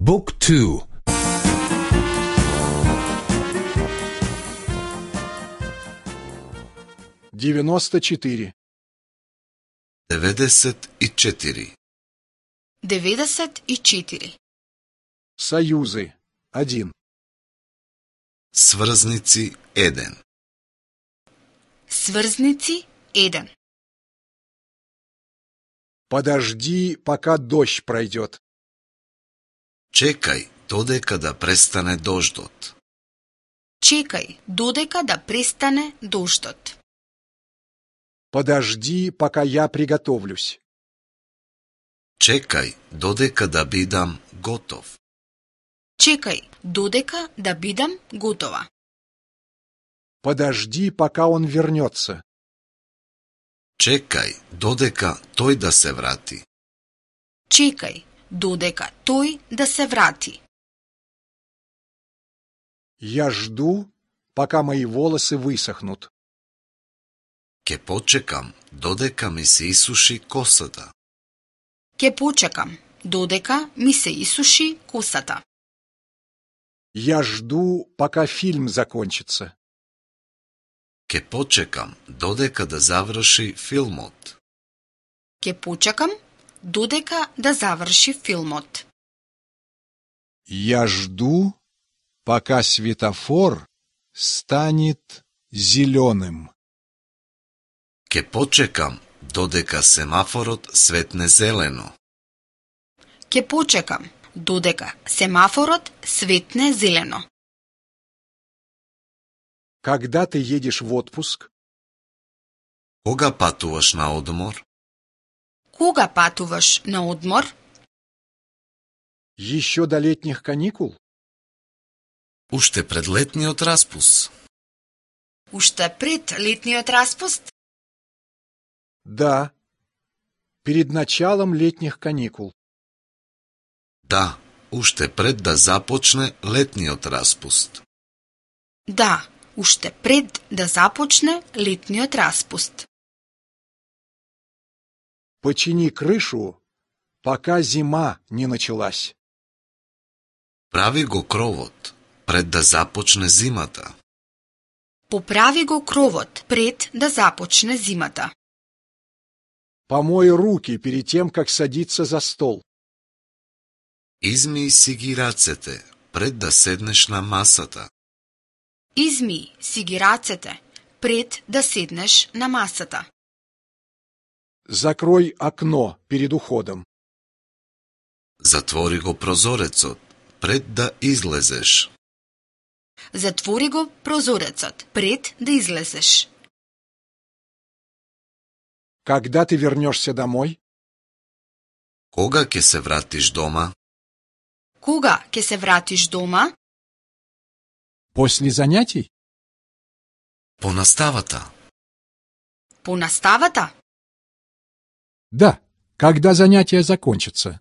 Book 2. 94. 94. 94. Союзы. 1. Сврзници 1. Сврзници 1. Подожди, пока дождь пройдет. Чекај додека да престане дождот. Чекај додека да престане дождот. Подожди, пока я приготовлюсь. Чекај додека да бидам готов. Чекај додека да бидам готова. Подожди, пока он вернется. Чекај додека тој да се врати. Чекај додека тој да се врати. Я жду, пока мои волосы высохнут. Ке почекам додека ми се исуши косата. Ке почекам додека ми се исуши косата. Я жду, пока фильм закончится. Ке почекам додека да заврши филмот. Ке почекам додека да заврши филмот. Я жду, пока светофор станет зеленым. Ке почекам додека семафорот светне зелено. Ке почекам додека семафорот светне зелено. Когда ты едешь в отпуск? Кога патуваш на одмор? Кога патуваш на одмор? Еще до летних каникул? Уште пред летниот распуст. Уште пред летниот распуст? Да, перед началом летних каникул. Да, уште пред да започне летниот распуст. Да, уште пред да започне летниот распуст. Почини крышу, пока зима не началась. Прави го кровот пред да започне зимата. Поправи го кровот пред да започне зимата. Помой руки перед тем, как садиться за стол. Измии си ги рацете пред да седнеш на масата. Измии си ги рацете пред да седнеш на масата. Закрой окно перед уходом. Затвори го прозорецот пред да излезеш. Затвори го прозорецот пред да излезеш. Когда ты вернешься домой? Кога ќе се вратиш дома? Кога ќе се вратиш дома? После занятий? По наставата. По наставата? Да, когда занятия закончатся.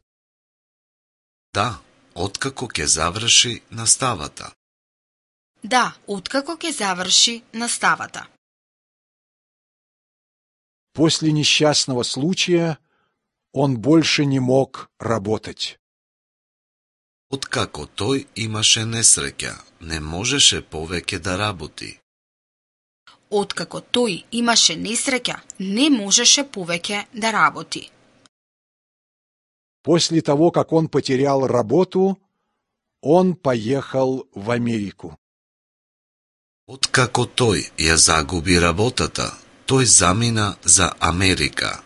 Да, откако ќе заврши наставата. Да, откако ќе заврши наставата. После несчастного случая он больше не мог работать. Откако тој имаше несреќа, не можеше повеќе да работи. Откако тој имаше несреќа, не можеше повеќе да работи. После того, как он потерял работу, он поехал в Америку. Откако тој ја загуби работата, тој замина за Америка.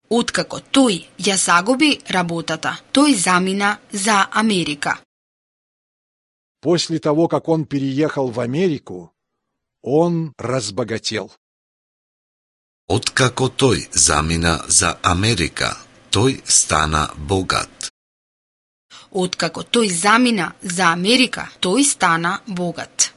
Откако тој ја загуби работата, тој замина за Америка. После того, как он переехал в Америку, он разбогател. Откако тој замина за Америка, тој стана богат. Откако тој замина за Америка, тој стана богат.